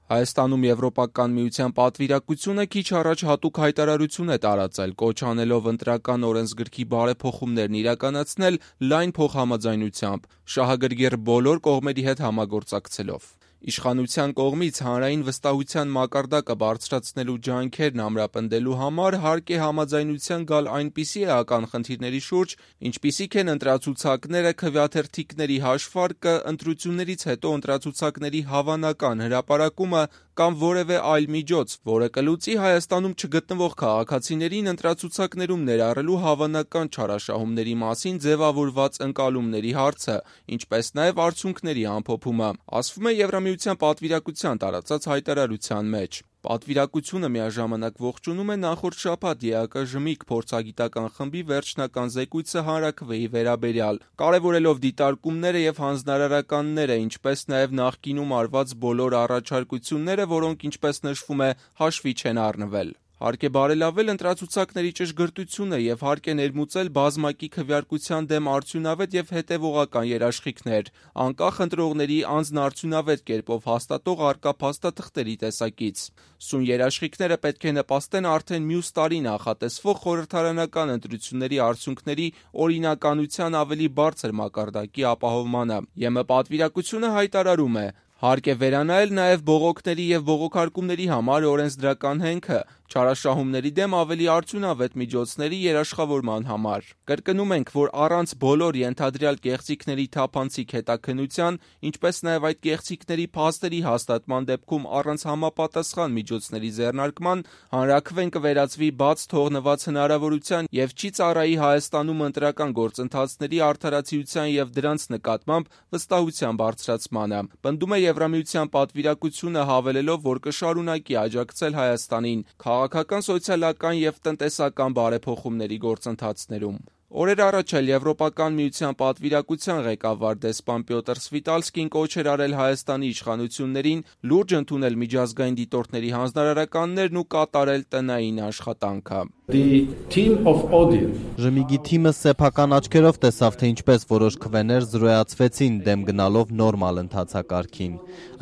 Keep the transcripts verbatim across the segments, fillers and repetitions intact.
Հայաստանում Եվրոպական միության պատվիրակությունը քիչ առաջ հատուկ հայտարարություն է տարածել, կոչ անելով ընտրական օրենսգրքի բարեփոխումներն իրականացնել լայն փոխհամաձայնությամբ, շահագրգիռ բոլոր կողմերի հետ համագործակցելով։ Իշխանության կողմից հանրային վստահության մակարդակը բարձրացնելու ջանքերն ամրապնդելու համար հարկ է համաձայնության գալ այնպիսի էական խնդիրների շուրջ, ինչպիսիք են ընտրացուցակները, քվեաթերթիկների հաշվարկը, ընտրություններից հետո ընտրացուցակների հավանական հրապարակումը կամ որևէ այլ միջոց, որը կլուծի Հայաստանում չգտնվող քաղաքացիներին ընտրացուցակներում ներառելու հավանական չարաշահումների մասին ձևավորված ընկալումների հարցը, ինչպես նաև արդյունքների ամփոփումը, ասվում է Եվրամիության պատվիրակության տարածած հայտարարության մեջ։ Պատվիրակությունը միաժամանակ ողջունում է նախորդ շաբաթ ԵԱԿ-ԺՄԻԿ փորձագիտական խմբի վերջնական զեկույցը հանրաքվեի վերաբերյալ, կարևորելով դիտարկումները և հանձնարարականները, ինչպես նաև նախկինում արված բոլոր առաջարկությունները, որոնք, ինչպես նշվում է, հաշվի չեն առնվել։ Հարկ է բարելավել ընտրացուցակների ճշգրտությունը և հարկ է ներմուծել բազմակի քվեարկության դեմ արդյունավետ և հետևողական երաշխիքներ, անկախ ընտրողների անձնարդյունավետ կերպով հաստատող առկա փաստաթղթերի տեսակից։ Սույն երաշխիքները պետք է նպաստեն արդեն մյուս տարի նախատեսվող խորհրդարանական ընտրությունների արդյունքների օրինականության ավելի բարձր մակարդակի ապահովմանը։ ԵՄ պատվիրակությունը հայտարարում է. Հարկ է վերանայել նաև բողոքների և բողոքարկումների համար օրենսդրական հենքը, չարաշահումների դեմ ավելի արդյունավետ միջոցների երաշխավորման համար։ Կրկնում ենք, որ առանց բոլոր ենթադրյալ կեղծիքների թափանցիկ հետաքննության, ինչպես նաև այդ կեղծիքների փաստերի հաստատման դեպքում առանց համապատասխան միջոցների ձեռնարկման, հանրաքվեն կվերածվի բաց թողնված հնարավորության և չի ծառայի Հայաստանում ընտրական գործընթացների արդարացիության և դրանց նկատմամբ վստահության բարձրացմանը, պնդում է Եվրամիության պատվիրակությունը, հավելելով, որ կշարունակի աջակցել Հայաստանին քաղաքական, սոցիալական և տնտեսական բարեփոխումների գործընթացներում։ Օրեր առաջ էլ Եվրոպական միության պատվիրակության ղեկավար դեսպան Պյոտր Սվիտալսկին կոչ էր արել Հայաստանի իշխանություններին լուրջ ընդունել միջազգային դիտորդների հանձնարարականներն ու կատարել տնային աշխատանքը։ ԺՄԻԳ-ի թիմը սեփական աչքերով տեսավ, թե ինչպես որոշ քվեներ զրոյացվեցին դեմ գնալով նորմալ ընթացակարգին։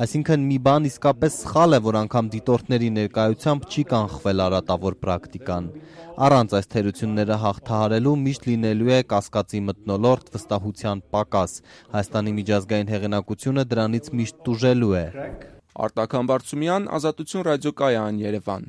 Այսինքն մի բան իսկապես սխալ է, որ անգամ դիտորդների ներկայությամբ չի կանխվել արատավոր պրակտիկան։ Առանց այս թերությունները հաղթահարելու միշտ լինելու է կասկածի մթնոլորտ, վստահության պակաս։ Հայաստանի միջազգային հեղինակությունը դրանից միշտ տուժելու է։ Արտակ Համբարձումյան, Ազատություն ռադիոկայան, Երևան։